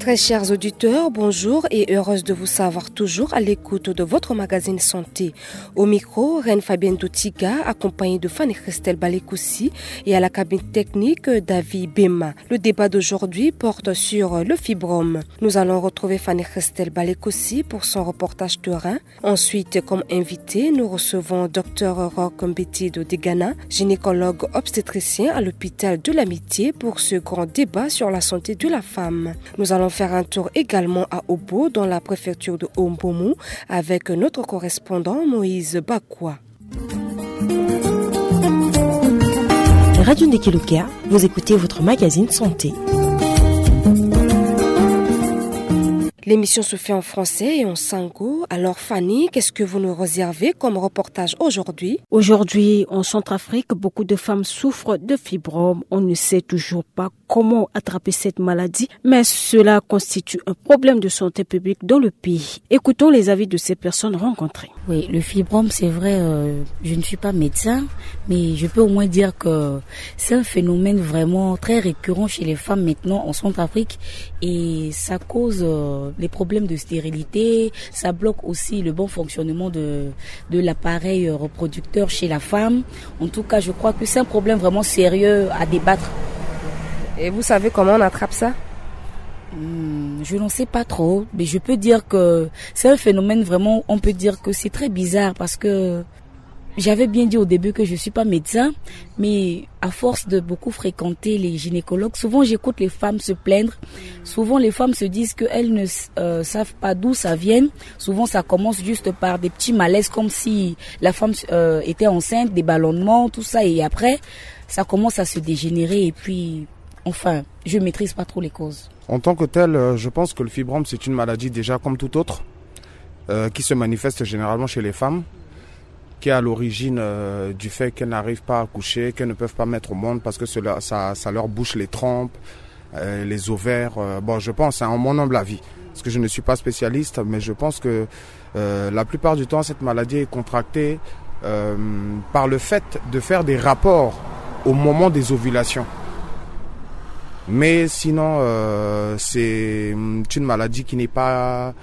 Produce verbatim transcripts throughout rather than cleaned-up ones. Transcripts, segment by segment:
Très chers auditeurs, bonjour et heureuse de vous savoir toujours à l'écoute de votre magazine santé. Au micro, Reine Fabienne Dotiga, accompagnée de Fanny Christelle Balekosi et à la cabine technique, David Bema. Le débat d'aujourd'hui porte sur le fibrome. Nous allons retrouver Fanny Christelle Balekosi pour son reportage terrain. Ensuite, comme invité, nous recevons Dr Rock Mbetido Degana, gynécologue obstétricien à l'hôpital de l'Amitié, pour ce grand débat sur la santé de la femme. Nous allons faire un tour également à Obo, dans la préfecture de Ombomu, avec notre correspondant Moïse Bakwa. Radio Ndekelukia, vous écoutez votre magazine santé. L'émission se fait en français et en sango. Alors Fanny, qu'est-ce que vous nous réservez comme reportage aujourd'hui ? Aujourd'hui, en Centrafrique, beaucoup de femmes souffrent de fibrome. On ne sait toujours pas comment attraper cette maladie, mais cela constitue un problème de santé publique dans le pays. Écoutons les avis de ces personnes rencontrées. Oui, le fibrome, c'est vrai, euh, je ne suis pas médecin, mais je peux au moins dire que c'est un phénomène vraiment très récurrent chez les femmes maintenant en Centrafrique et ça cause euh, les problèmes de stérilité, ça bloque aussi le bon fonctionnement de, de l'appareil euh, reproducteur chez la femme. En tout cas, je crois que c'est un problème vraiment sérieux à débattre. Et vous savez comment on attrape ça ? Hmm, je n'en sais pas trop, mais je peux dire que c'est un phénomène vraiment, on peut dire que c'est très bizarre parce que j'avais bien dit au début que je ne suis pas médecin, mais à force de beaucoup fréquenter les gynécologues, souvent j'écoute les femmes se plaindre. Souvent les femmes se disent qu'elles ne euh, savent pas d'où ça vient. Souvent ça commence juste par des petits malaises comme si la femme euh, était enceinte, des ballonnements, tout ça. Et après, ça commence à se dégénérer et puis, enfin, je ne maîtrise pas trop les causes. En tant que tel, euh, je pense que le fibrome, c'est une maladie déjà comme toute autre, euh, qui se manifeste généralement chez les femmes, qui est à l'origine euh, du fait qu'elles n'arrivent pas à accoucher, qu'elles ne peuvent pas mettre au monde parce que cela, ça, ça leur bouche les trompes, euh, les ovaires. Euh, bon, je pense, hein, en mon humble avis, parce que je ne suis pas spécialiste, mais je pense que euh, la plupart du temps, cette maladie est contractée euh, par le fait de faire des rapports au moment des ovulations. Mais sinon, euh, c'est une maladie qui n'est pas,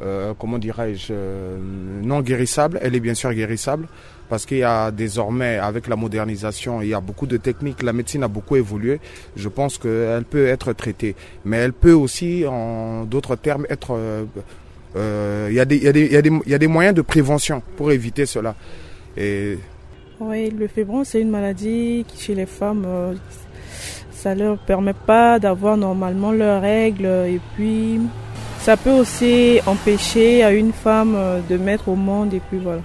euh, comment dirais-je, euh, non guérissable. Elle est bien sûr guérissable parce qu'il y a désormais, avec la modernisation, il y a beaucoup de techniques. La médecine a beaucoup évolué. Je pense qu'elle peut être traitée. Mais elle peut aussi, en d'autres termes, être... euh, euh, il y a des, il y a des, il y a des, il y a des moyens de prévention pour éviter cela. Et Oui, le fibrome, c'est une maladie qui, chez les femmes, euh, ça leur permet pas d'avoir normalement leurs règles et puis ça peut aussi empêcher à une femme euh, de mettre au monde et puis voilà.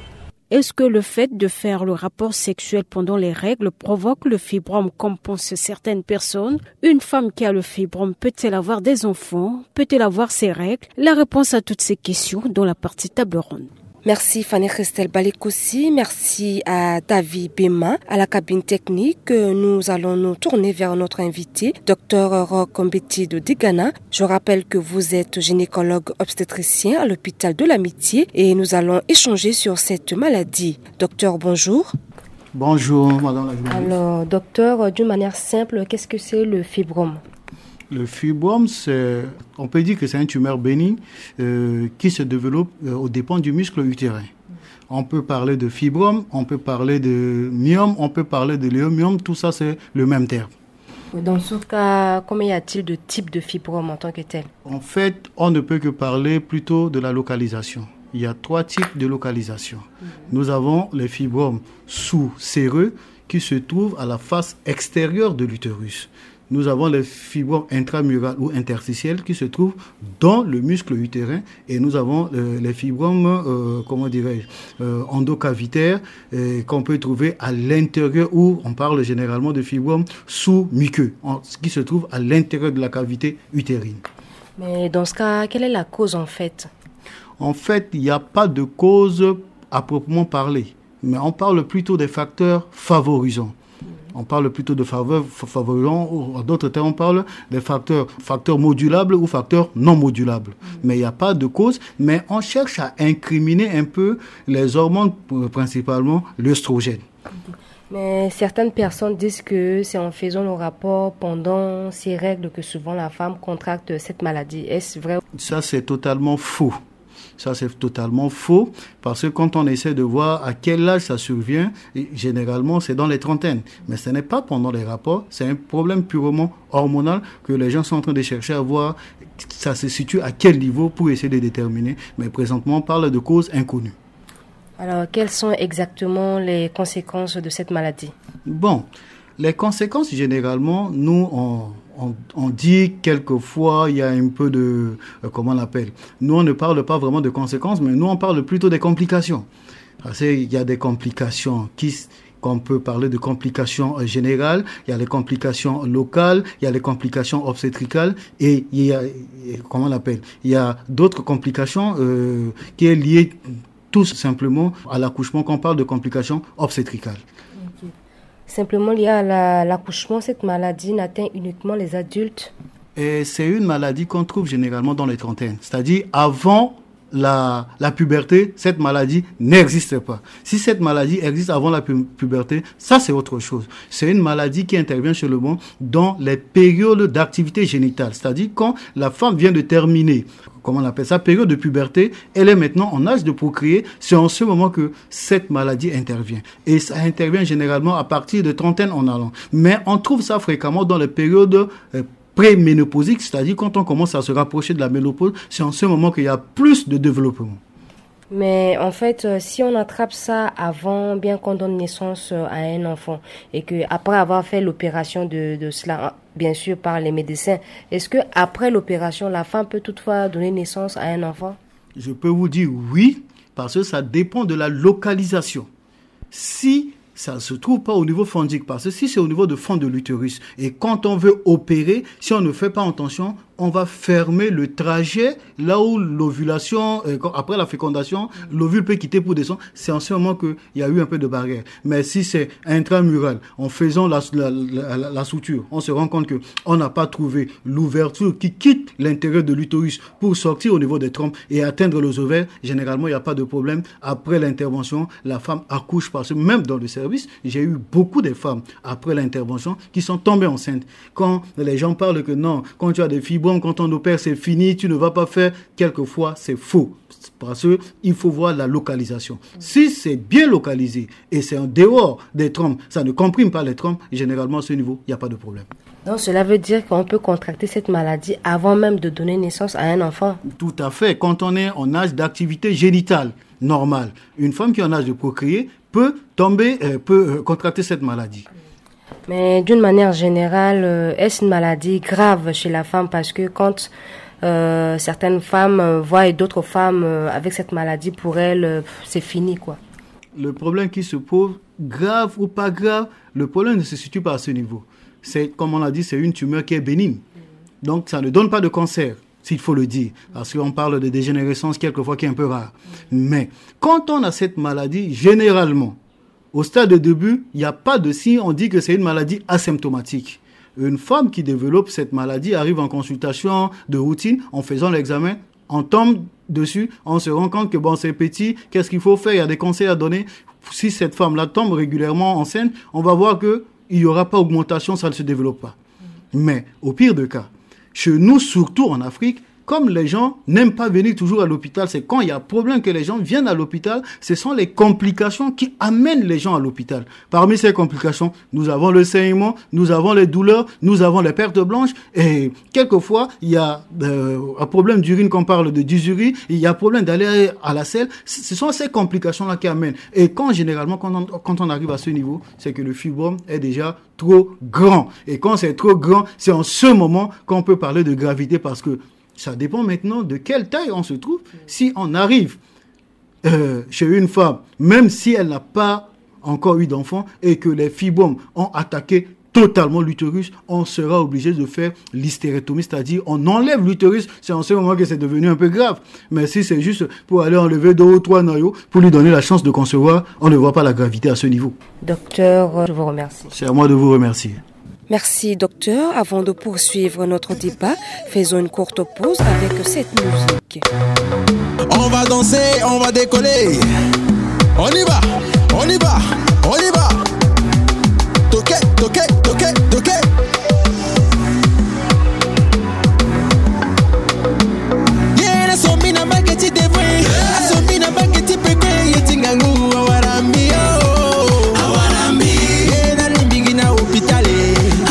Est-ce que le fait de faire le rapport sexuel pendant les règles provoque le fibrome comme pensent certaines personnes ? Une femme qui a le fibrome peut-elle avoir des enfants ? Peut-elle avoir ses règles ? La réponse à toutes ces questions dans la partie table ronde. Merci Fanny Christelle Balekosi, merci à David Bema, à la cabine technique. Nous allons nous tourner vers notre invité, Dr Rock Mbetido Degana. Je rappelle que vous êtes gynécologue obstétricien à l'hôpital de l'Amitié et nous allons échanger sur cette maladie. Docteur, bonjour. Bonjour, madame la journaliste. Alors, docteur, d'une manière simple, qu'est-ce que c'est le fibrome ? Le fibrome, c'est, on peut dire que c'est une tumeur bénigne euh, qui se développe euh, aux dépens du muscle utérin. On peut parler de fibrome, on peut parler de myome, on peut parler de léomyome, tout ça c'est le même terme. Dans ce cas, combien y a-t-il de types de fibrome en tant que tel ? En fait, on ne peut que parler plutôt de la localisation. Il y a trois types de localisation. Nous avons les fibromes sous-séreux qui se trouvent à la face extérieure de l'utérus. Nous avons les fibromes intramural ou interstitiels qui se trouvent dans le muscle utérin et nous avons euh, les fibromes, euh, comment dirais-je, euh, endocavitaires euh, qu'on peut trouver à l'intérieur ou on parle généralement de fibromes sous-muqueux, en- qui se trouvent à l'intérieur de la cavité utérine. Mais dans ce cas, quelle est la cause en fait ? En fait, il n'y a pas de cause à proprement parler, mais on parle plutôt des facteurs favorisants. On parle plutôt de faveurs f- favorisants, ou en d'autres termes, on parle des facteurs, facteurs modulables ou facteurs non modulables. Mais il n'y a pas de cause, mais on cherche à incriminer un peu les hormones, euh, principalement l'œstrogène. Mais certaines personnes disent que c'est en faisant le rapport pendant ses règles que souvent la femme contracte cette maladie. Est-ce vrai ? Ça, c'est totalement faux. Ça, c'est totalement faux, parce que quand on essaie de voir à quel âge ça survient, et généralement, c'est dans les trentaines. Mais ce n'est pas pendant les rapports, c'est un problème purement hormonal que les gens sont en train de chercher à voir, ça se situe à quel niveau pour essayer de déterminer. Mais présentement, on parle de causes inconnues. Alors, quelles sont exactement les conséquences de cette maladie ? Bon, les conséquences, généralement, nous, on, on, on dit quelquefois, il y a un peu de, euh, comment on appelle ? Nous, on ne parle pas vraiment de conséquences, mais nous, on parle plutôt des complications. Parce qu'il y a des complications qui s-, qu'on peut parler de complications, euh, générales, il y a les complications locales, il y a les complications obstétricales, et il y a, euh, comment on appelle, il y a d'autres complications, euh, qui est liée tout simplement à l'accouchement, quand on parle de complications obstétricales. Ok. Simplement lié à la, l'accouchement, cette maladie n'atteint uniquement les adultes ? Et c'est une maladie qu'on trouve généralement dans les trentaines, c'est-à-dire avant la, la puberté, cette maladie n'existe pas. Si cette maladie existe avant la pu-, puberté, ça, c'est autre chose. C'est une maladie qui intervient seulement dans les périodes d'activité génitale, c'est-à-dire quand la femme vient de terminer, comment on appelle ça, période de puberté, elle est maintenant en âge de procréer, c'est en ce moment que cette maladie intervient. Et ça intervient généralement à partir de trentaine en allant. Mais on trouve ça fréquemment dans les périodes, euh, préménopausiques, c'est-à-dire quand on commence à se rapprocher de la ménopause, c'est en ce moment qu'il y a plus de développement. Mais en fait, euh, si on attrape ça avant, bien qu'on donne naissance, euh, à un enfant, et que après avoir fait l'opération de, de cela, hein, bien sûr par les médecins, est-ce que après l'opération, la femme peut toutefois donner naissance à un enfant ? Je peux vous dire oui, parce que ça dépend de la localisation. Si ça se trouve pas au niveau fondique, parce que si c'est au niveau de fond de l'utérus, et quand on veut opérer, si on ne fait pas attention, on va fermer le trajet là où l'ovulation, euh, quand, après la fécondation, l'ovule peut quitter pour descendre. C'est en ce moment qu'il y a eu un peu de barrière. Mais si c'est intramural, en faisant la, la, la, la, la suture, on se rend compte que on n'a pas trouvé l'ouverture qui quitte l'intérieur de l'utérus pour sortir au niveau des trompes et atteindre les ovaires. Généralement, il n'y a pas de problème. Après l'intervention, la femme accouche, parce que même dans le service, j'ai eu beaucoup de femmes après l'intervention qui sont tombées enceintes. Quand les gens parlent que non, quand tu as des fibromes, quand on opère, c'est fini, tu ne vas pas faire, quelquefois, c'est faux. Parce que il faut voir la localisation. Si c'est bien localisé et c'est en dehors des trompes, ça ne comprime pas les trompes, généralement, à ce niveau, il n'y a pas de problème. Donc, cela veut dire qu'on peut contracter cette maladie avant même de donner naissance à un enfant ? Tout à fait. Quand on est en âge d'activité génitale normale, une femme qui est en âge de procréer peut tomber, euh, peut, euh, contracter cette maladie. Mais d'une manière générale, euh, est-ce une maladie grave chez la femme ? Parce que quand, euh, certaines femmes, euh, voient d'autres femmes, euh, avec cette maladie, pour elles, euh, c'est fini, quoi. Le problème qui se pose, grave ou pas grave, le problème ne se situe pas à ce niveau. C'est, comme on l'a dit, c'est une tumeur qui est bénigne. Donc, ça ne donne pas de cancer, s'il faut le dire. Parce qu'on parle de dégénérescence quelquefois qui est un peu rare. Mais quand on a cette maladie, généralement, au stade de début, il n'y a pas de signe, on dit que c'est une maladie asymptomatique. Une femme qui développe cette maladie arrive en consultation de routine, en faisant l'examen, on tombe dessus, on se rend compte que, bon, c'est petit, qu'est-ce qu'il faut faire ? Il y a des conseils à donner. Si cette femme-là tombe régulièrement enceinte, on va voir que il n'y aura pas augmentation, ça ne se développe pas. Mais au pire de cas, chez nous, surtout en Afrique, comme les gens n'aiment pas venir toujours à l'hôpital, c'est quand il y a problème que les gens viennent à l'hôpital, ce sont les complications qui amènent les gens à l'hôpital. Parmi ces complications, nous avons le saignement, nous avons les douleurs, nous avons les pertes blanches, et quelquefois, il y a, euh, un problème d'urine, qu'on parle de dysurie, il y a problème d'aller à la selle. Ce sont ces complications-là qui amènent. Et quand, généralement, quand on, quand on arrive à ce niveau, c'est que le fibrome est déjà trop grand. Et quand c'est trop grand, c'est en ce moment qu'on peut parler de gravité, parce que ça dépend maintenant de quelle taille on se trouve. Si on arrive, euh, chez une femme, même si elle n'a pas encore eu d'enfant, et que les fibromes ont attaqué totalement l'utérus, on sera obligé de faire l'hystérectomie, c'est-à-dire on enlève l'utérus. C'est en ce moment que c'est devenu un peu grave. Mais si c'est juste pour aller enlever deux ou trois noyaux pour lui donner la chance de concevoir, on ne voit pas la gravité à ce niveau. Docteur, je vous remercie. C'est à moi de vous remercier. Merci, docteur. Avant de poursuivre notre débat, faisons une courte pause avec cette musique. On va danser, on va décoller. On y va, on y va, on y va. Toke, toke, toke. Ye na sombi na mbage ti devre. Asombi na mbage ti peke ye ti ngangu awarambi yo. Awarambi. Ye na limbingi na hôpital.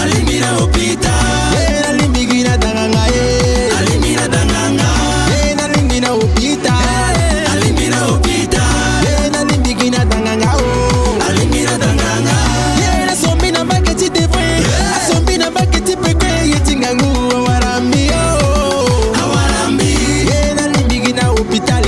Alimbi na hôpital. Ye na limbingi na danganga ye. Alimbi na danganga. Ye na limbingi na hôpital. Alimbi na hôpital. Ye na limbingi na danganga o. Alimbi na danganga. Ye na sombi na mbage ti devre. Asombi na mbage ti peke ye ti ngangu awarambi yo. Awarambi. Ye na limbingi na hôpital.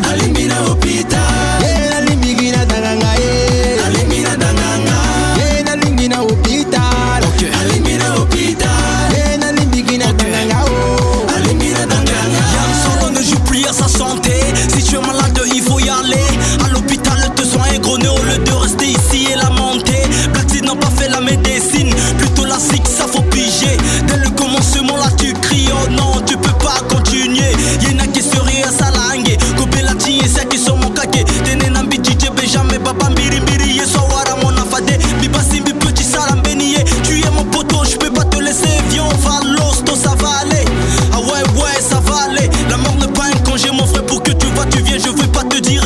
Alimbi na hôpital. Ye na limbingi na danganga ye. Alimbi na danganga. Ye na limbingi na hôpital. Ok. Alimbi na hôpital. Ye na limbingi na danganga o. Alimbi na danganga. Yam Solo ne joue plus à sa santé. Si tu es malade, il faut y aller. À l'hôpital, te soins, gros néo, le de rester ici et lamenter. Black Seed n'ont pas fait la médecine. Plutôt la zik, ça faut piger. Dès le commencement, là, tu cries, oh non, tu peux pas continuer. Ye na ke sérieux, ça la hangue. Kobela ti ye, sa ke so mon kake. Tene na mbi ti je Benjamin, baba mbiri mbiri, ye so awara mon afade. Mbi basi mbi petit sara mbeni ye. Tu es mon poteau, je peux pas te laisser. Viens, on va l'hosto, ça va aller. Ah ouais, ouais, ça va aller. La mort n'est pas un congé, mon frère, pour que tu vas, tu viens. Je veux pas te dire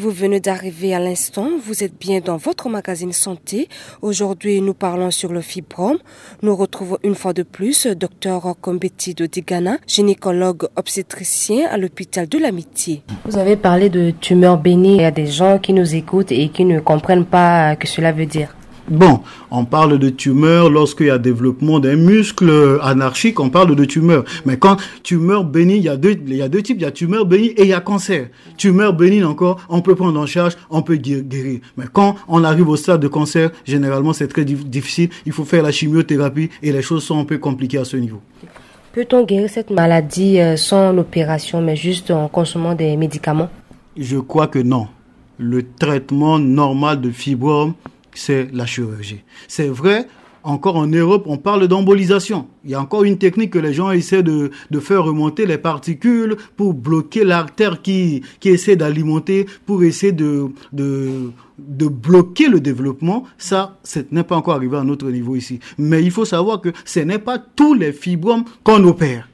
Vous venez d'arriver à l'instant, vous êtes bien dans votre magazine santé. Aujourd'hui, nous parlons sur le fibrome. Nous retrouvons une fois de plus Dr Kombeti Dodigana, gynécologue obstétricien à l'hôpital de l'Amitié. Vous avez parlé de tumeurs bénignes. Il y a des gens qui nous écoutent et qui ne comprennent pas que cela veut dire. Bon, on parle de tumeur lorsqu'il y a développement d'un muscle anarchique, on parle de tumeur. Mais quand tumeur bénigne, il y a deux, il y a deux types, il y a tumeur bénigne et il y a cancer. Tumeur bénigne encore, on peut prendre en charge, on peut gué- guérir. Mais quand on arrive au stade de cancer, généralement c'est très dif- difficile. Il faut faire la chimiothérapie et les choses sont un peu compliquées à ce niveau. Peut-on guérir cette maladie euh, sans l'opération, mais juste en consommant des médicaments ? Je crois que non. Le traitement normal de fibrome, c'est la chirurgie. C'est vrai, encore en Europe, on parle d'embolisation. Il y a encore une technique que les gens essaient de, de faire remonter les particules pour bloquer l'artère qui, qui essaie d'alimenter, pour essayer de, de, de bloquer le développement. Ça, ce n'est pas encore arrivé à notre niveau ici. Mais il faut savoir que ce n'est pas tous les fibromes qu'on opère.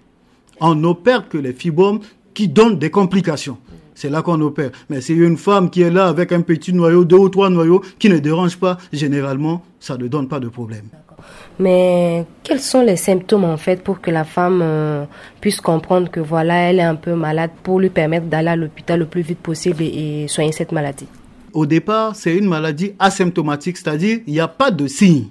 On n'opère que les fibromes qui donnent des complications. C'est là qu'on opère. Mais c'est une femme qui est là avec un petit noyau, deux ou trois noyaux, qui ne dérange pas, généralement, ça ne donne pas de problème. Mais quels sont les symptômes en fait pour que la femme euh, puisse comprendre que voilà, elle est un peu malade, pour lui permettre d'aller à l'hôpital le plus vite possible et, et soigner cette maladie ? Au départ, c'est une maladie asymptomatique, c'est-à-dire il n'y a pas de signe.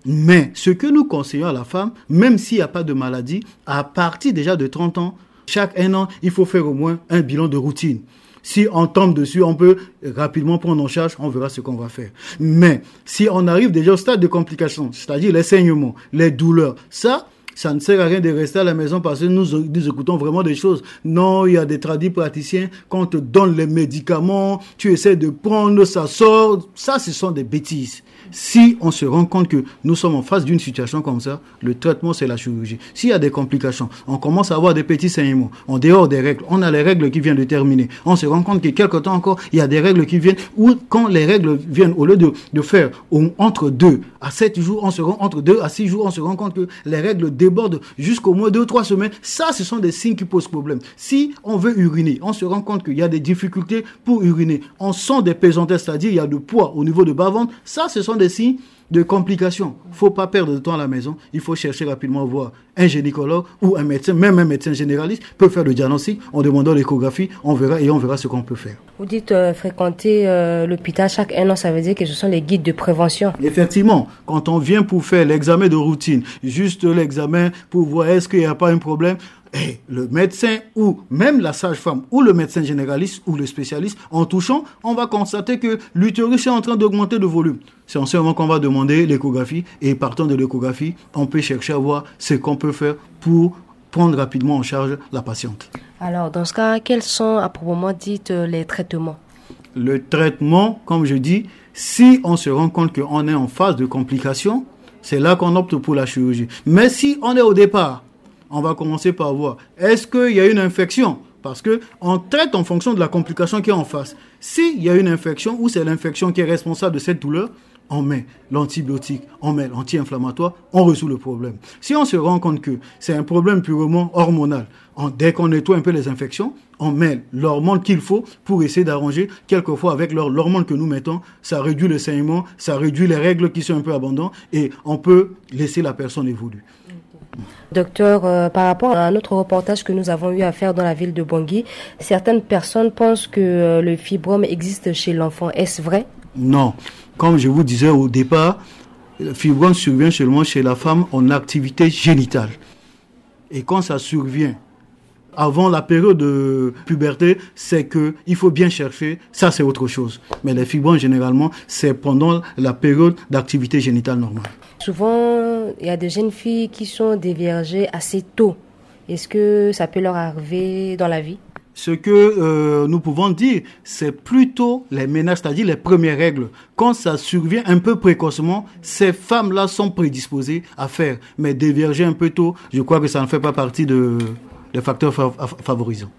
Mais ce que nous conseillons à la femme, même s'il n'y a pas de maladie, à partir déjà de trente ans, chaque un an, il faut faire au moins un bilan de routine. Si on tombe dessus, on peut rapidement prendre en charge, on verra ce qu'on va faire. Mais si on arrive déjà au stade de complication, c'est-à-dire les saignements, les douleurs, ça, ça ne sert à rien de rester à la maison parce que nous, nous écoutons vraiment des choses. Non, il y a des tradipraticiens, quand on te donne les médicaments, tu essaies de prendre, ça sort. Ça, ce sont des bêtises. Si on se rend compte que nous sommes en face d'une situation comme ça, le traitement, c'est la chirurgie. S'il y a des complications, on commence à avoir des petits saignements en dehors des règles. On a les règles qui viennent de terminer. On se rend compte que quelque temps encore, il y a des règles qui viennent, ou quand les règles viennent, au lieu de, de faire au- entre deux à sept jours, on se rend entre deux à six jours, on se rend compte que les règles débordent jusqu'au moins deux ou trois semaines. Ça, ce sont des signes qui posent problème. Si on veut uriner, on se rend compte qu'il y a des difficultés pour uriner. On sent des pesanteurs, c'est-à-dire il y a du poids au niveau de bas-ventre. Ça, ce sont des signes de complications. Faut pas perdre de temps à la maison. Il faut chercher rapidement voir un gynécologue ou un médecin, même un médecin généraliste peut faire le diagnostic en demandant l'échographie. On verra et on verra ce qu'on peut faire. Vous dites euh, fréquenter euh, l'hôpital chaque un an, ça veut dire que ce sont les guides de prévention. Effectivement, quand on vient pour faire l'examen de routine, juste l'examen pour voir est-ce qu'il n'y a pas un problème, eh, le médecin ou même la sage-femme ou le médecin généraliste ou le spécialiste, en touchant, on va constater que l'utérus est en train d'augmenter de volume. C'est en ce moment qu'on va demander l'échographie et partant de l'échographie, on peut chercher à voir ce qu'on peut faire pour prendre rapidement en charge la patiente. Alors, dans ce cas, quels sont à proprement dit euh, les traitements ? Le traitement, comme je dis, si on se rend compte qu'on est en phase de complication, c'est là qu'on opte pour la chirurgie. Mais si on est au départ, on va commencer par voir, est-ce qu'il y a une infection ? Parce que on traite en fonction de la complication qui est en face. S'il y a une infection ou c'est l'infection qui est responsable de cette douleur, on met l'antibiotique, on met l'anti-inflammatoire, on résout le problème. Si on se rend compte que c'est un problème purement hormonal, on- dès qu'on nettoie un peu les infections, on met l'hormone qu'il faut pour essayer d'arranger. Quelquefois, avec l'hor- l'hormone que nous mettons, ça réduit le saignement, ça réduit les règles qui sont un peu abondantes et on peut laisser la personne évoluer. Docteur, euh, par rapport à un autre reportage que nous avons eu à faire dans la ville de Bangui, certaines personnes pensent que euh, le fibrome existe chez l'enfant. Est-ce vrai ? Non. Comme je vous disais au départ, le fibrome survient seulement chez la femme en activité génitale. Et quand ça survient avant la période de puberté, c'est que il faut bien chercher. Ça, c'est autre chose. Mais les fibromes, généralement, c'est pendant la période d'activité génitale normale. Souvent, il y a des jeunes filles qui sont déviergées assez tôt. Est-ce que ça peut leur arriver dans la vie ? Ce que euh, nous pouvons dire, c'est plutôt les ménages, c'est-à-dire les premières règles. Quand ça survient un peu précocement, ces femmes-là sont prédisposées à faire. Mais dévierger un peu tôt, je crois que ça ne fait pas partie de, des facteurs fa- fa- favorisants.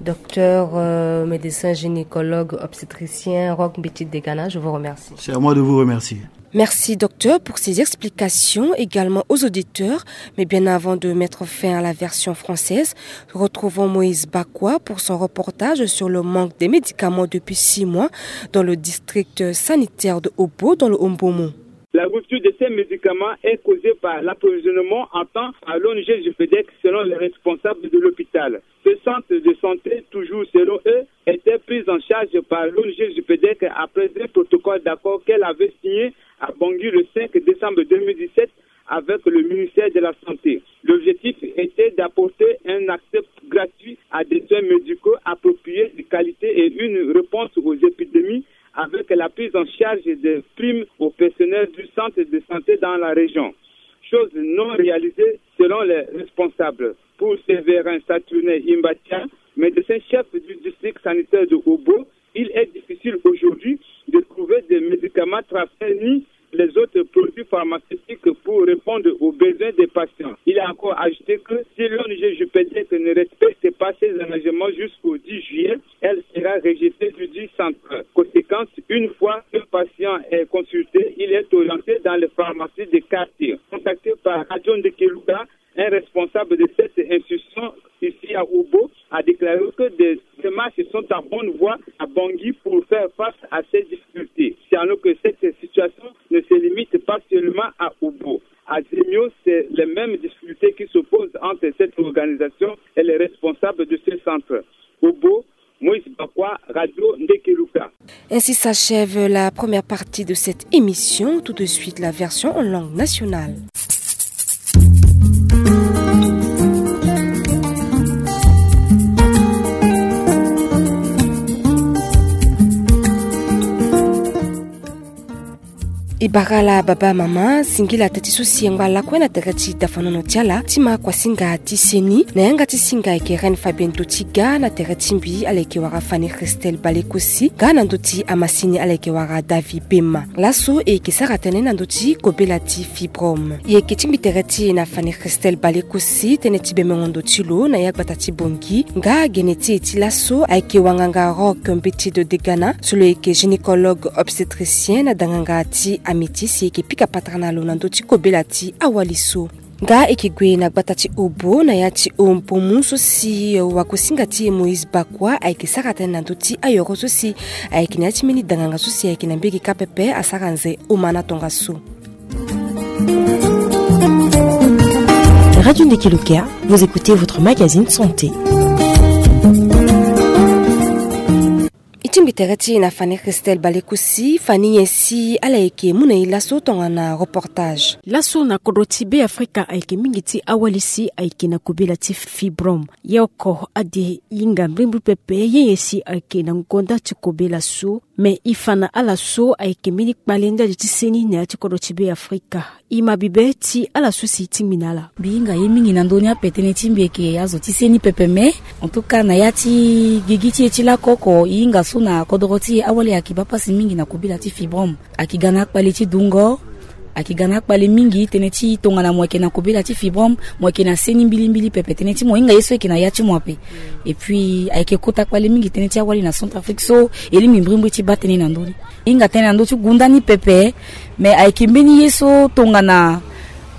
Docteur, euh, médecin gynécologue obstétricien Rock Mbiti Degana, je vous remercie. C'est à moi de vous remercier. Merci, docteur, pour ces explications. Également aux auditeurs. Mais bien avant de mettre fin à la version française, retrouvons Moïse Bakwa pour son reportage sur le manque des médicaments depuis six mois dans le district sanitaire de Obo, dans le Ombomo. La rupture de ces médicaments est causée par l'approvisionnement en temps à l'O N G Jupedec, selon les responsables de l'hôpital. Ce centre de santé, toujours selon eux, était pris en charge par l'O N G Jupedec après un protocole d'accord qu'elle avait signé à Bangui le cinq décembre deux mille dix-sept avec le ministère de la Santé. L'objectif était d'apporter un accès gratuit à des soins médicaux appropriés, de qualité et une réponse aux épidémies avec la prise en charge des primes au personnel du centre de santé dans la région. Chose non réalisée selon les responsables. Pour Séverin Saturnin Imbatia, médecin chef du district sanitaire de Obo, il est difficile aujourd'hui de trouver des médicaments tracés ni les autres produits pharmaceutiques pour répondre aux besoins des patients. Il a encore ajouté que si l'O N G Jupedec ne respecte pas ses engagements jusqu'au dix juillet, elle sera rejetée du dix centre. Conséquence, une fois un patient est consulté, il est orienté dans les pharmacies des quartiers. Contacté par Radio Ndekeluka, un responsable de cette institution ici à Obo a déclaré que des démarches sont en bonne voie à Bangui pour faire face à ces difficultés. C'est alors que cette situation ne se limite pas seulement à Obo. À Zemio, c'est les mêmes difficultés qui s'opposent entre cette organisation et les responsables de ce centre. Obo, Moïse Bakwa, Radio Ndekeluka. Ainsi s'achève la première partie de cette émission. Tout de suite, la version en langue nationale. E bara ala baba mama, singila teti so si e ngba lakue na tere ti dafanono ti ala ti ma kuasinga ti seni na yanga ti singa ayeke Reine Fabienne Totiga, na tere ti mbi ala yeke wara Fanny Christelle Balekosi, nga na ndö ti amasini ala yeke wara David Bema. Laso e yeke sara tënë na ndö ti kobela ti fibrome. E yeke tingbi tere ti e na Fanny Christelle Balekosi, tënë ti bemengo ndo ti lo na ya gbata ti Bangui, nga gene ti e ti laso ayeke wanganga Rock Mbeti Degana, so lo yeke gynécologue obstétricien na danganga ti Amétis, e yeke pika patara na lo na ndö ti kobela ti awali so. Nga e yeke gue na gbata ti Obo na ya ti Ombomo so si wagosinga ti e Moïse Bakwa ayeke sara tënë na ndö ti ayoro so si ayeke na ya ti mbeni danganga so si ayeke na mbege kâ pepe asara nze omana tongaso. Radio Ndekeluka, vous écoutez votre magazine santé. E tingbi tere ti e na Fanny Christelle Balekosi. Fanny, nyen si ala yeke mu na e laso tongana reportage? Laso na kodro ti Beafrika ayeke mingi ti awali si ayeke na kobela ti fibrome. Ye oko ade hinga mbrimbri pepe ye nyen si ayeke na ngonda ti kobela so. Me e fa na ala so ayeke mbeni kpale ndali ti seni na ya ti kodro ti Beafrika. E ma bibe ti ala so si e tingbi na ala. Mbi hinga ye mingi na ndö ni ape, tënë ti mbi ayeke azo ti seni pepe me. En tout cas, na ya ti gigi ti e ti laoko oko, e hinga so na kodoro ti e awali ayeke baa pasi mingi na kobela ti fibrome. Ayeke ga na akpale ti dungo, ayeke ga na akpale mingi tënë ti tongana mo yeke na kobela ti fibrome, mo yeke na seni mbilimbili pepe, tënë ti mo hinga ye so e yeke na ya ti mo ape. Et puis ayeke kota kpale mingi tënë ti awali na Centrafrique so e lingbi mbrimbri ti baa tënë na ndö ni. E hinga tënë na ndö ti gunda ni pepe, me ayeke mbeni ye so tongana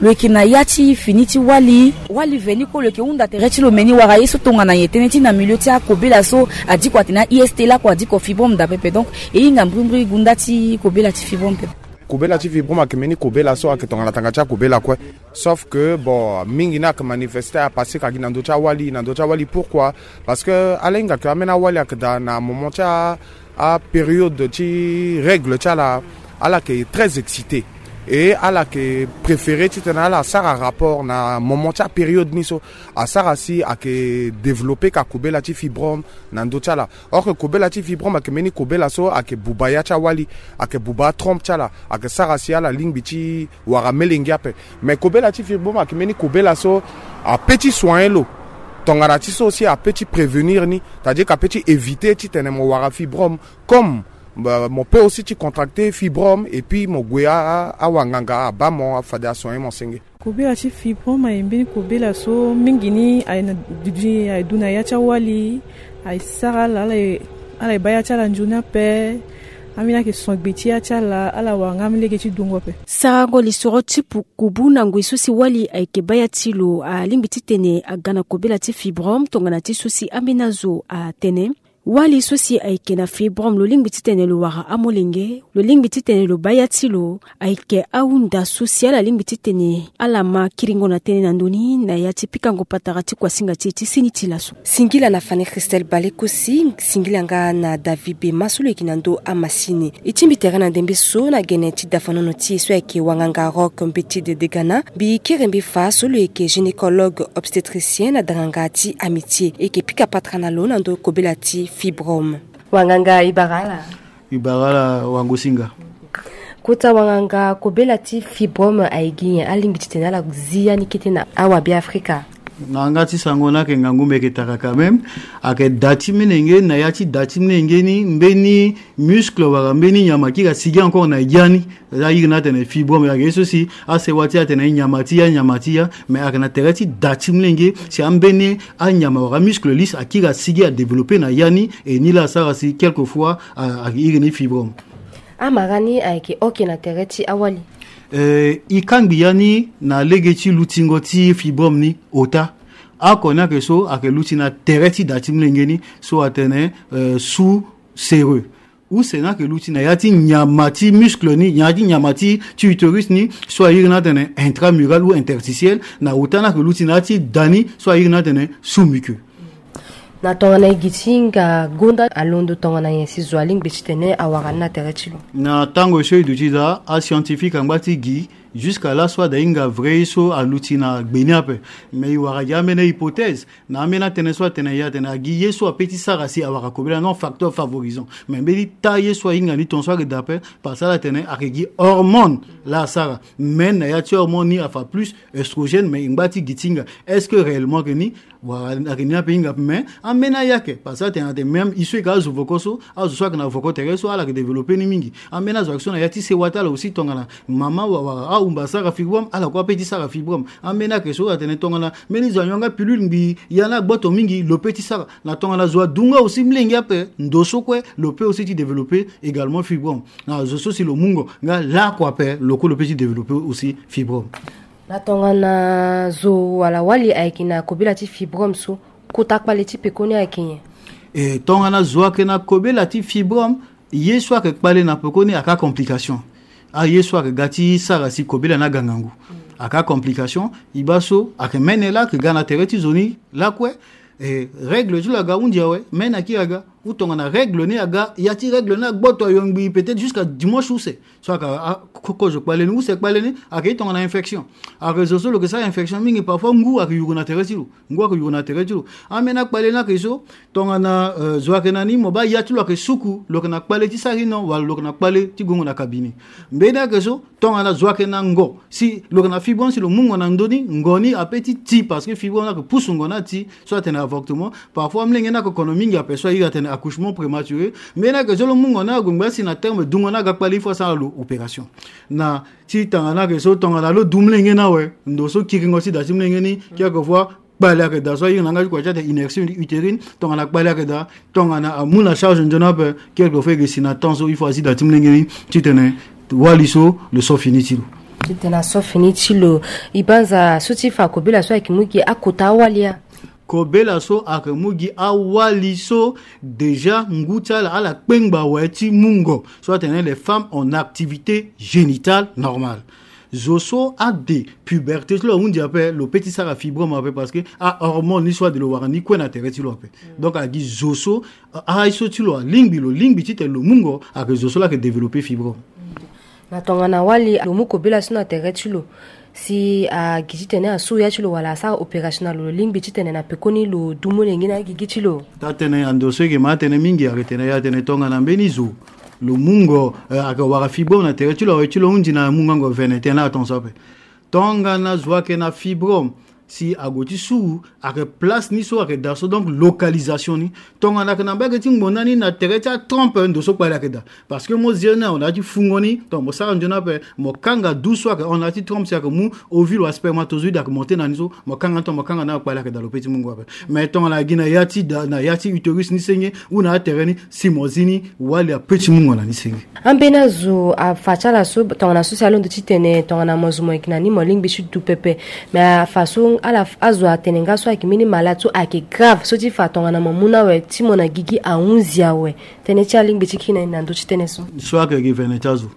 lo yeke na ya ti fini ti wali, wali veni kue lo yeke hunda tere ti lo me ni wara ye so tongana nyen tënë ti na milieu ti akobela so adiko atene a-I S T laoko adiko fibrome daa pepe. Donc e hinga mbrimbri gunda ti kobela ti fibrome pepe. Kobela ti fibrome ayeke mbeni kobela so ayeke tongana tanga ti akobela kue. Sauf que bon, mingi ni ayeke manifeste, apassé ka gi na ndö ti awali, na ndö ti awali. Pourquoi? Parce que ala hinga ke ambeni awali ayeke daa na moment ti a, apériode ti règle ti ala, ala yeke très excité. Et ala yeke préféré titene ala sara rapport na moment ti apériode ni so. Asara si ayeke développé ka kobela ti fibrome na ndö ti ala. Or que kobela ti fibrome ayeke mbeni kobela so ayeke buba ya ti awali, ayeke buba atrompe ti ala, ayeke sara si ala lingbi ti wara melenge ape. Mais kobela ti fibrome ayeke mbeni kobela so ape ti soigner lo. Tongana ti so aussi ape ti prévenir ni, c'est-à-dire que ape ti éviter titene mo wara fibrome. Comme Mo peut aussi ti contracter fibrome et puis mo gue awanganga abaa mo fade asoigner mo senge. Kobela ti fibrome aye mbeni kobela so mingi ni aye na dudu aye du na ya ti awali. Aye sara ala ala ye baa ya ti ala nzoni ape. Ambeni ayeke son gbe ti ya ti ala ala wara nga ambeni lege ti dungo ape. Sarango lisoro ti pukubu na ngoi so si wali ayeke baa ya ti lo alingbi titene aga na kobela ti fibrome tongana ti so si ambeni azo atene. Wali so si ayeke na fibrome lo lingbi titene lo wara amolenge lo lingbi titene lo baa ya ti lo. Ayeke ahunda so si ala lingbi titene ala ma kiringo na tënë na ndö ni na ya ti pikango patara ti kuasinga ti e ti seni ti laso. Singila na Fanny Christelle Balekosi, singila nga na David Bema so lo yeke na ndö amasini. E tingbi tere na ndembe so na gene ti dafanono ti e so ayeke wanganga Rock Mbeti de Degana mbi kere mbi fa so lo yeke gynécologue obstétricien na danganga ti Amitié. E yeke pika patara na lo na ndö kobela ti fibrome. Wanganga e bara ala. E bara ala wango-singa. Kota wanganga, kobela ti fibrome aye gi nyen? Alingbi titene ala zi ya ni kete na awabe Afrika? Na yanga ti sango ni ayeke ngangu mbi yeke taka quand même. Ayeke da ti molenge, na ya ti da ti molenge ni mbeni muscle wala mbeni nyama akiri asigi encore na ya ni. Aza iri ni atene fibrome. Ayeke ye so si asewa ti e atene nyama ti ya, nyama ti ya. Mais ayeke na tere ti da ti molenge si ambeni anyama wala amuscle lisse akiri asigi adévelopper na ya ni. E ni laa asara si quelquefois ayeke iri ni fibrome. Amara ni ayeke oke na tere ti awali. Eh, e kangbi ya ni na lege ti lutingo ti fibrome ni ota. Oko ni ayeke so ayeke luti na tere ti da ti molenge ni so atene eh, sous séreux. Use ni ayeke luti na ya ti nyama ti muscle ni, ya ti nyama ti ti utérus ni so airi ni atene intramural ou interstitiel. Na ota ni ayeke luti na ya ti da ni so airi ni atene sous muqueux. Na tongana e gi ti hinga gonda alondo tongana nyen si zo alingbi titene awara ni na tere ti lo? Na tango so e duti daa ascientifique angba ti gi jusqu'à laso ada hinga vrai ye so aluti na gbe ni ape. Mais e wara gi ambeni hypothèse na ambeni atënë so atene ye atene agi ye so ape ti sara si awara kobela non facteur favorisant. Mais mbeni taa ye so ahinga ni tongaso ayeke daa ape. Parce que ala tene ayeke gi hormone laa asara. Mais na ya ti hormone ni afa plus oestrogène, mais e ngba ti gi ti hinga. Est-ce que réellement ayeke ni? Wala ayeke ni ape hinga ape. Mais ambeni aye ayeke parce que atene atene même e so e yeke azo voko so, azo so ayeke na voko tere so ala yeke développer ni mingi. Ambeni azo ayeke so na ya ti sewa ti ala aussi tongana mama wala ahumba asara fibrome, ala kue ape ti sara fibrome. Ambeni ayeke so atene tongana mbeni zo anyonga pilule ngbii ya ni agboto mingi lo pe ti sara. Na tongana zo adu nga aussi molenge ape ndo so kue lo pe aussi ti développer également fibrome. Na zo so si lo mu ngo nga lakue ape lo kue lo pe ti développer aussi fibrome. Na tongana zo wala wali ayeke na kobela ti fibrome so, kota kpale ti pekoni ayeke nyen? E tongana zo ayeke na kobela ti fibrome, ye so ayeke kpale na pekoni ayeke acomplication. Aye so ayeke ga ti sara si kobela ni aga ngangu. Ayeke acomplication. E baa so ayeke mene laa ayeke ga na tere ti zo ni lakue. E règle ti lo aga hunzi awe, mene akiri aga. Ou tongana règle ni aga, ya ti règle ni agboto ayo ngbii peut-être jusqu'à dimanche use. So ayeke kozo kpale ni, use kpale ni, ayeke ye tongana infection. Ayeke zo so lo yeke sara infection mingi, parfois ngu ayeke yuru na tere ti lo. Ngu ayeke yuru na tere ti lo. Ambeni akpale ni ayeke so tongana zo ayeke na ni mo baa ya ti lo ayeke suku, lo yeke na kpale ti sara ino wala lo yeke na kpale ti gongo na cabinet. Mbeni ayeke so tongana zo ayeke na ngo, si lo yeke na fibrome si lo mu ngo na ndö ni, ngo ni ape ti ti parce que fibrome ni ayeke pusu ngo ni ati. So atene avortement. Parfois molenge ni ayeke kono mingi ape so airi atene accouchement prématuré. Mbeni ayeke so lo mu ngo ni ague ngba si na terme dungo ni aga kpale il faut asara lo opération. Na ti tanga ni ayeke so tongana lo du molenge ni awe, ndo so kiringo ti da ti molenge ni, quelquefois kpale ayeke daa so airi na yanga ti kua ti atene inertie utérine. Tongana kpale ayeke daa, tongana amu na charge nzoni ape, quelquefois e yeke si na temps so il faut azi da ti molenge ni titene wali so lo so fini ti lo. Titene aso fini ti lo. E banza so ti fa kobela so ayeke mu gi akota awali ya. Kobela so ayeke mu gi awali so déjà ngu ti ala ala kpengba awe ti mu ngo. So atene les femmes en activité génitale normale. Zo so ade puberté ti lo ahunzi ape, lo pe ti sara fibrome ape parce que ahormone ni so ade lo wara ni kue na tere ti lo ape. Donc agi zo so aye so ti lo alingbi, lo lingbi titene lo mu ngo, ayeke zo so laa ayeke développer fibrome. Na tongana wali lo mu kobela so na tere ti lo, si agi titene asu ya ti lo wala asara opération na lo, lo lingbi titene na pekoni lo du molenge na agigi ti lo? Taa tënë ya ndo so e yeke ma atënë mingi ayeke tene ya atene tongana mbeni zo lo mu ngo, eh, ayeke wara fibrome na tere ti lo awe ti lo hunzi na mungango veine tënë atongaso ape. Tongana zo ayeke na fibrome, Si ague ti suru ayeke place ni so ayeke daa so, donc localisation ni. Tongana ayeke na mbage ti ngbonda ni na tere ti atrompe, ndo so kpale ayeke daa. Parce que mo zia ni awe na ya ti fungo ni, tongana mo sara nzoni ape, mo kanga du so ayeke hon na ya ti trompe si ayeke mu ovule wala spermatozoïde ayeke monte na ni so, mo kanga ni, tongana mo kanga ni awe kpale ayeke daa, lo pe ti mungo ape. Mais tongana agi na ya ti da, na ya ti utérus ni senge, ou na atere ni, si mo zi ni, wali ape ti mungo na ni senge. Ambeni azo afa ti ala so tongana so si alondo titene tongana mo zo mo yeke na ni mo lingbi ti du pepe. Mais afa so ala, azo atene nga so ayeke mbeni malade so ayeke grave so ti fa tongana mo mu ni awe ti mo na gigi ahunzi awe. Tënë ti alingbi ti kiri na ni na ndö ti tënë so. So ayeke gi vene ti azo,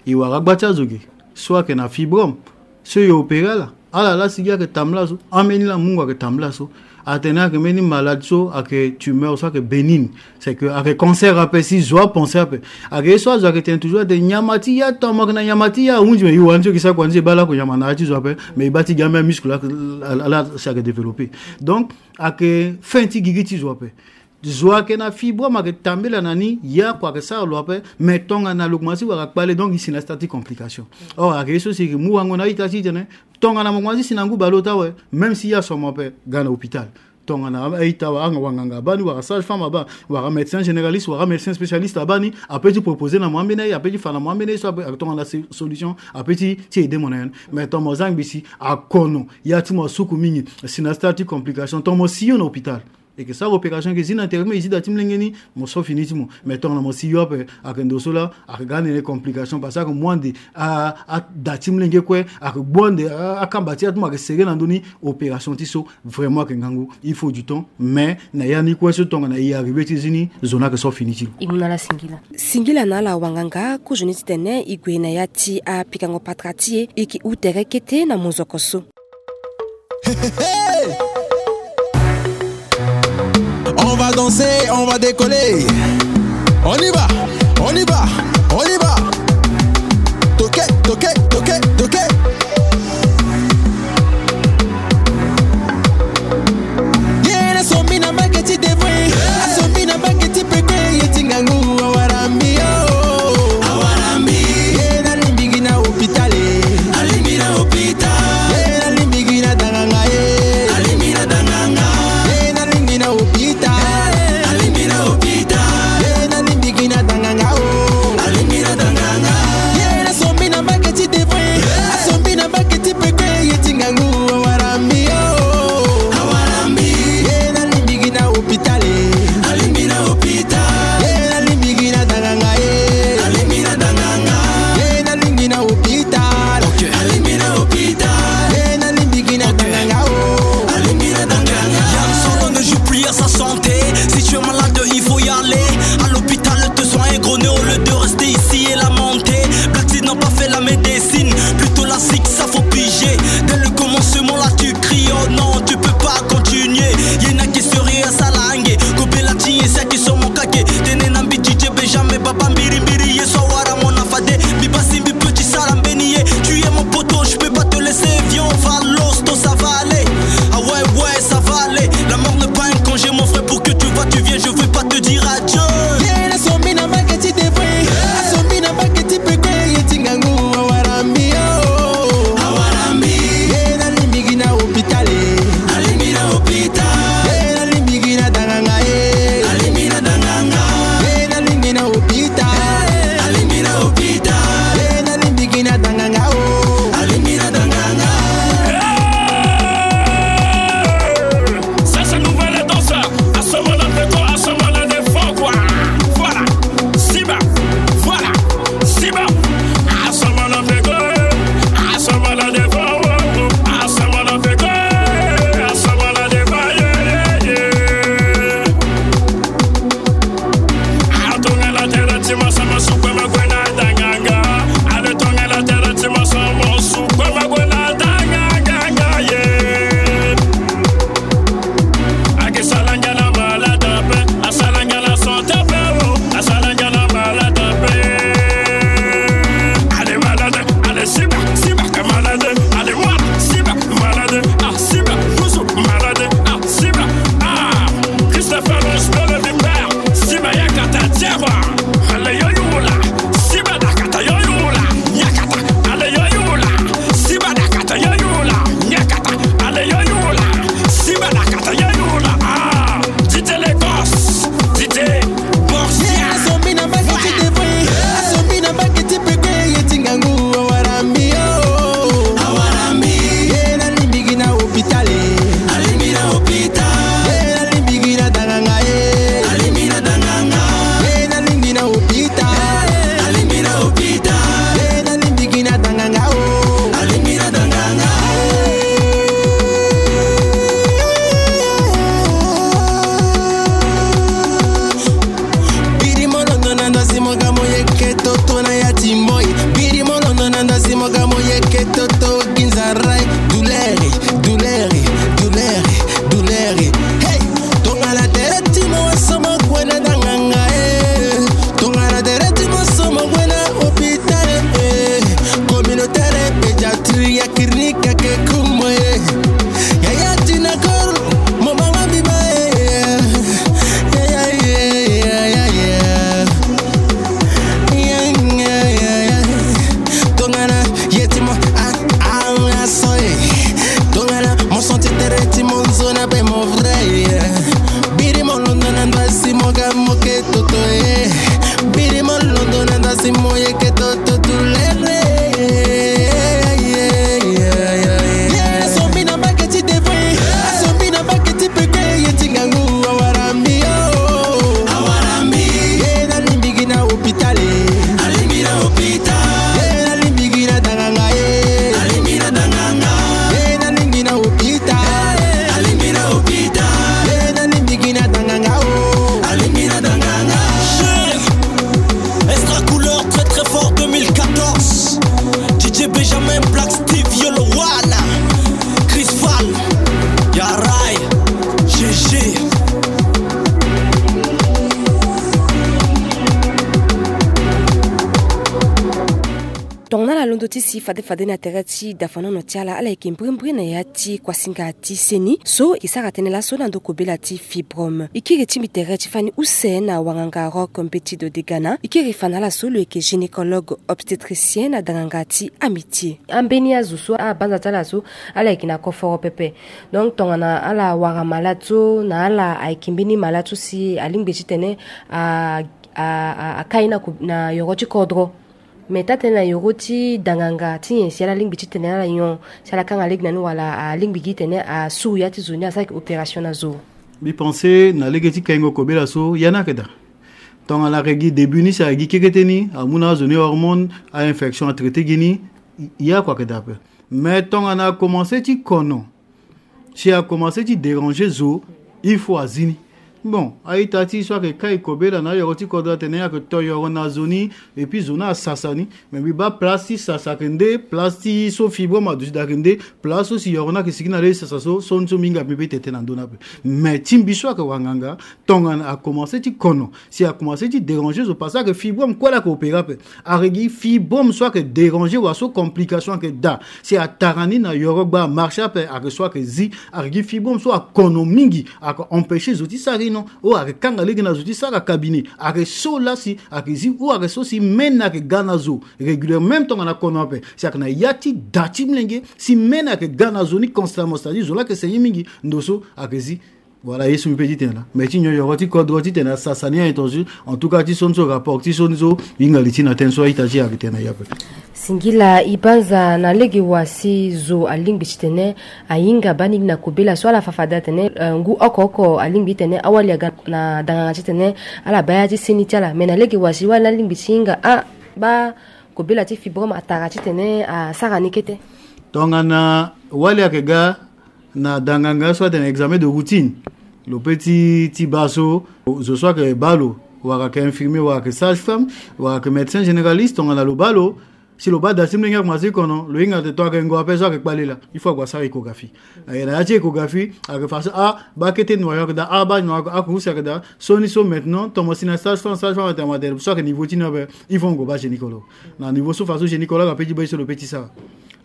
e wara agba ti azo ge. So ayeke na fibrome, so e opéré ala. Ala laa si gi ayeke tambula so, ambeni laa mungo ayeke tambula so. Atene ayeke mbeni malade so ayeke tumeur so ayeke bénigne. C'est que ayeke cancer ape si zo apense ape. Ayeke ye so azo ayeke tene toujours ate nyama ti ya, tongana mo yeke na nyama ti ya ahunzi, mais e wara ni so e yeke sara kua ni so e baa lakue nyama na ya ti zo ape. Mais e baa ti gi ambeni muscle ala si ayeke développé. Donc ayeke fin ti gigi ti zo ape. Zo ayeke na fibrome ayeke tambela na ni, ya kua ayeke sara lo ape. Mais tongana lo komanse ti wara kpale, donc e si na sta ti complication. Or ayeke ye so si e yeke mu wango na a-ita ti e tene, tongana mo komanse ti si na ngu baleota awe, même si ya so mo ape, ga na hôpital. Tongana a-ita awe, anga wanganga abaa ni, wala sage-femme abaa, wala médecin généraliste, wala médecin spécialiste abaa ni, ape ti proposer na mo ambeni aye, ape ti fa na mo ambeni aye so ape, tongana solution ape ti, ti aider mo na ya ni. Mais tongana mo zia ngbii si akono, ya ti mo asuku mingi, si na sta ti complication, tongana mo si yo na hôpital, e yeke sara opération, e yeke zi na tere ti mo, e zi da ti molenge ni, mo so fini ti mo. Mais tongana mo si yo ape, ayeke ndo so laa ayeke ga ni complication, parce que ayeke mu ande a, ada ti molenge kue, ayeke gbu ande a, akamba ti ya ti mo ayeke serré na ndö ni. Opération ti so vraiment ayeke ngangu, il faut du temps. Mais na ya ni kue so tongana e arrivé ti zi ni, zo ni ayeke so fini ti lo. E mu na ala singila. Singila na ala wanganga, kozoni titene e gue na ya ti apikango patara ti e, e yeke hou tere kete na munzoko so. Hey, hey. On va danser, on va décoller. On y va, on y va, on y va. Toquer, toquer, toquer, toquer. Yena sombi na mbage ti devant, asombi na mbage ti peko, ye ti ngangu awarambi yo. Awarambi. Yena limbingi na hôpital, alimbi na hôpital. Yena limbingi na danganga, eh. Alimbi na danganga. Yena limbingi na hôpital, alimbi na hôpital. Yena limbingi na danganga, oh. Alimbi na danganga. Yena sombi na mbage ti devant. Ndo ti si fade fade na tere ti dafanono ti ala, ala yeke mbrimbri na ya ti kuasinga ti seni so e ke sara tënë laso na ndo kobela ti fibrome. E kiri ti mbi tere ti fani use na wanganga Rock Mbeti Dodegana. E kiri fa na ala so lo yeke gynécologue obstétricien na danganga ti Amitié. Ambeni azo so abanza ti ala so ala yeke na koforo pepe. Donc tongana ala wara malade so na ala ayeke mbeni malade so si alingbi titene a, a, a, akai na ko-, na yoro ti kodro. Me taa-tënë na yoro ti danganga ti nyen si ala lingbi titene ala nyon, si ala kanga lege na ni wala alingbi gi tene asuru ya ti zo ni, asara yeke opération na zo? Mbi pense na lege ti kaingo kobela so ya ni ayeke daa. Tongana ayeke gi début ni si ayeke gi kekete ni, amu na azo ni hormone, a-infection atraité gi ni, ya kue ayeke daa ape. Mais tongana akomanse ti kono, si akomanse ti déranger zo, il faut azi ni. Bon, a-ita ti so ayeke kai kobela na ayoro ti kodro atene ayeke to yoro na zo ni, et puis zo ni asasa ni. Mais mbi baa place ti sasa ayeke nde, place ti so fibrome aduti daa ayeke nde, place so si yoro ni ayeke sigi na le ti sasa so, so ni so mbi hinga mbi be tene tënë na ndö ni ape. Mais ti mbi so ayeke wanganga, tongana akomanse ti kono, si akomanse ti déranger zo, parce que ayeke fibrome kue laa ayeke opéré ape. Ayeke gi fibrome so ayeke déranger wala so complication ayeke daa, si atara ni na yoro gba amarché ape, ayeke so ayeke zi. Ayeke gi fibrome so akono mingi, ayeke empêcher zo ti sara ino, ou ayeke kanga lege na zo ti sara cabinet, ayeke so laa si ayeke zi, ou ayeke so si mene ayeke ga na zo régulièrement. Même tongana akono ape, si ayeke na ya ti da ti molenge, si mene ayeke ga na zo ni constamment, c'est-à-dire zo laa ayeke saigner mingi, ndo so ayeke zi. Voilà, ye so mbi pe ti tene laa. Mais ti nyon yoro ti kodro titene asasa ni a-intention. En tout cas ti so ni so rapport ti so ni so hinga li ti na tënë so a-ita ti e ayeke tene na ya ape. Singila e banza na lege wa si zo alingbi titene ahinga baa ni gi na kobela so ala fa fade atene, eh, ngu oko oko alingbi titene awali aga na danganga titene ala baa ya ti seni ti ala. Mais na lege wa si wali ni alingbi ti hinga a baa kobela ti fibrome atara titene asara ni kete? Tongana wali ayeke ga na danganga so atene examen de routine, lo pe ti, ti baa so, zo so ayeke baa lo, wala ayeke infirmier, wala ayeke sage-femme, wala ayeke médecin généraliste, tongana lo baa lo, si lo baa da ti molenge akomanse ti kono, lo hinga tene to ayeke ngo ape so ayeke kpale laa, il faut ague asara échographie. Aye na ya ti échographie, ayeke fa so, ah, baa kete noyau ayeke daa, ah, baa noyau ayeke, akuru si ayeke daa, so ni so maintenant, tomo si na sage-femme, sage-femme atene, atene so ayeke niveau ti ni ape, il faut ngo baa gynécologue. Na niveau so fa so gynécologue ape ti baa ye so lo pe ti sara.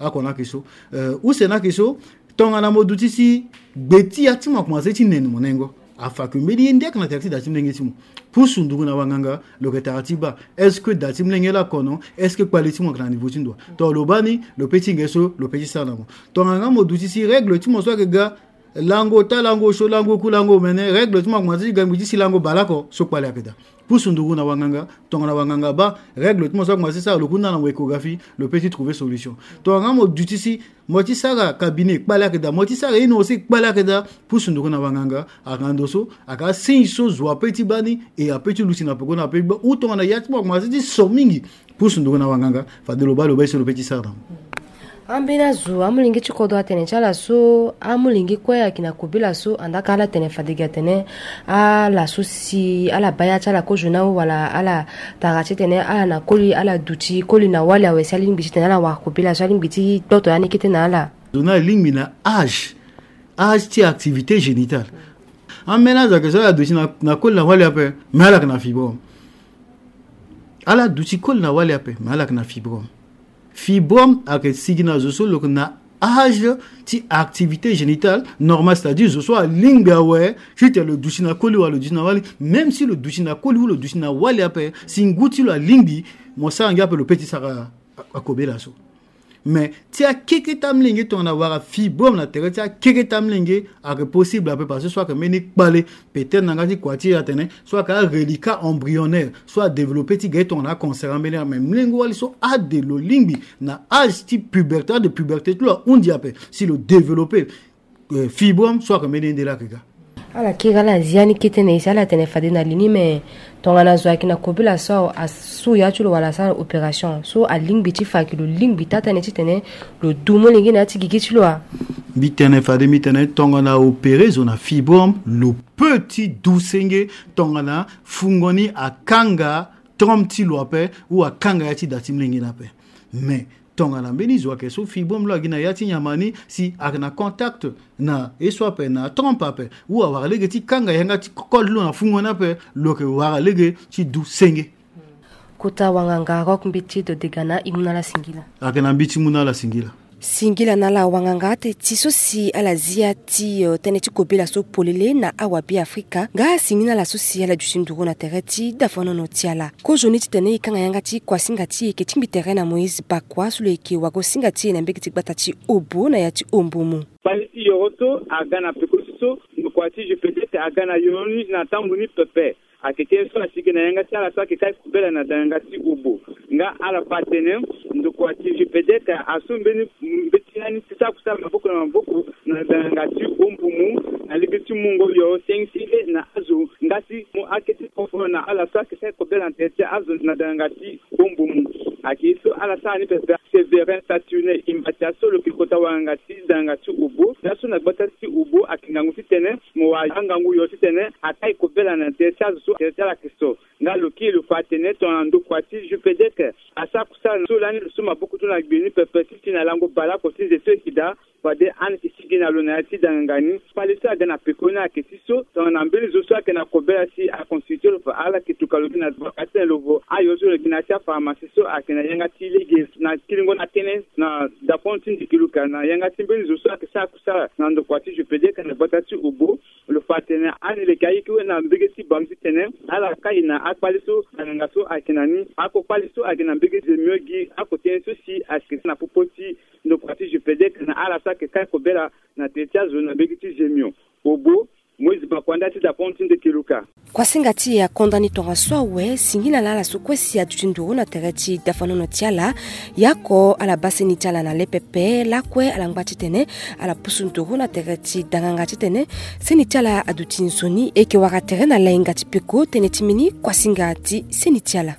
Oko ni ayeke so. Euh, use ni ayeke so, tongana mo duti si gbe ti ya ti mo akomanse ti nene mo nengo, afa ke mbeni ye nde ayeke na tere ti da ti molenge ti mo. Pusu nduru na wanganga, lo yeke tara ti baa est-ce que da ti molenge laa akono, est-ce que kpale ti mo ayeke na niveau ti ndo wa? To lo baa ni, lo pe ti hinga ye so lo pe ti sara na mo. Tongana nga mo duti si règle ti mo so ayeke ga, lango ota, lango osio, lango oku, lango omene, règle ti mo akomanse ti ga ngbi ti si lango baleoko, so kpale ayeke daa. Pusu nduru na wanganga, tongana wanganga abaa règle ti mo so akomanse ti sara, lo ku na na mo échographie, lo pe ti trouver solution. Tongana nga mo duti si mo ti sara cabinet, kpale ayeke daa, mo ti sara ino aussi, kpale ayeke daa, pusu nduru na wanganga, ayeke na ndo so, ayeke asigne so zo ape ti baa ni, e ape ti luti na peko ni, ape ti baa, ou tongana ya ti mo akomanse ti so mingi, pusu nduru na wanganga, fade lo baa lo baa ye so lo pe ti sara na mo. Ambeni azo, amolenge ti kodro atene ti ala so, amolenge kue ayeke na kobela so, andaa ka ala tene fade gi atene, ala so si ala baa ya ti ala kozo na awe wala ala tara titene ala na koli, ala duti koli na wali awe si alingbi titene ala wara kobela so alingbi ti gboto ya ni kete na ala. Zo ni alingbi na âge, âge ti activité génitale. Ambeni azo ayeke so ala duti na, na koli na wali ape, me ala yeke na fibrome. Ala duti koli na wali ape, me ala yeke na fibrome. Fibrome ayeke sigi na zo so lo yeke na âge ti activité génitale normale, c'est-à-dire zo so alingbi awe titene lo duti na koli wala lo duti na wali. Même si lo duti na koli ou lo duti na wali ape, si ngu ti lo alingbi, mo sara ngia ape, lo pe ti sara a, akobela so. Mais ti akeke ti amolenge, tongana wara fibrome na tere ti akeke ti amolenge, ayeke possible ape parce que so ayeke mbeni kpale, peut-être na yanga ti kua ti e atene so ayeke areliquat embryonnaire, so adéveloppé ti ga ti tongana acancer ambeni. Mais molenge wali so ade lo lingbi na âge ti puberté, ade puberté ti lo ahunzi ape, si lo développé, euh, fibrome, so ayeke mbeni ye nde laa ayeke ga. Ala kiri, ala zi ya ni kete na e si ala tene fade na li ni, me tongana zo ayeke na kobela so asuru ya ti lo wala asara opération, so alingbi ti fa ayeke lo lingbi taa-tënë titene lo du molenge na ya ti gigi ti lo wa? Mbi tene fade, mbi tene tongana aopéré zo na fibrome, lo peut ti du senge tongana fungo ni akanga trompe ti lo ape, ou akanga ya ti da ti molenge ni ape. Mais tongana mbeni zo ayeke so fibrome lo agi na ya ti nyama ni, si ayeke na contact na ye so ape, na trompe ape, ou awara lege ti kanga yanga ti kode lo na fungo ni ape, lo yeke wara lege ti du senge. Kota wanganga Rock Mbeti Dodegana, e mu na ala singila. Ayeke na mbi ti mu na ala singila. Singila na ala wanganga ate ti so si ala zia ti, eh, tënë ti kobela so polele na awabe Afrika. Nga singila na ala so si ala duti nduru na tere ti dafanono ti ala. Kozoni titene e kanga yanga ti kuasinga ti e, e yeke tingbi tere na Moïse Bakoua so lo yeke wago-singa ti e na mbege ti gbata ti Obo na ya ti Ombumu. Kpale ti yoro so aga na peko ti so, ndokua ti Jupedec aga na yoro ni na tambula ni pepe. Ayeke tënë so asigi na yanga ti ala so ayeke kai kobela na danganga ti Obo. Nga ala fa atene ndokua ti Jupedec asu mbeni mbeti ni ti sara kusala maboko na maboko na danganga ti Ombumu na lege ti mungo yoro senge senge na azo nga ti mu akete koforo na ala so ayeke kai kobela na tere ti azo na danganga ti Ombumu. Ayeke ye so ala sara ni pepe. Séverin Saturnin Imbatia so lo yeke kota wanganga ti danganga ti Obo, laso na gbata ti Obo ayeke ngangu titene mo wara angangu yo titene akai kobela na tere ti azo so tere ti ala ayeke so. Nga lo kiri lo fa atene tongana ndokua ti Jupedec asara kusala so lani lo su maboko ti lo na gbe ni pepe ti ti na lango baleoko ti nze so e yeke daa. Fade ani yeke sigi na lo na ya ti danganga ni. Kpale so aga na peko ni ayeke ti so tongana mbeni zo so ayeke na kobela si aconstitue lo fa ala yeke tuka lo gi na gbaka titene lo vo ayo so lo yeke na ya ti apharmacie so ayeke na yanga ti lege na kiringo na tënë na dapon ti ndiki luka na yanga ti mbeni zo so ayeke sara kusala na ndokua ti Jupedec na gbata ti Obo. Lo fa atene ani leke ayeke we na mbege ti bango titene ala kai na akpale so danganga so ayeke na ni. Ako kpale so ayeke na mbege zemio gi ako tënë so si ayeke na popo ti ndokua ti Jupedec na ala so ayeke kai kobela na tere ti azo na mbege ti zemio. Obo, Moïse Bakoua nda ti dapon ti ndeke luka. Kuasinga ti e akonda ni tongaso awe, singila na ala so kue si aduti nduru na tere ti dafanono ti ala. Yako ala baa seni ti ala na le pepe lakue ala ngba titene ala pusu nduru na tere ti danganga titene seni ti ala aduti nzoni. E yeke wara tere na lainga ti peko tënë ti mbeni kuasinga ti seni ti ala.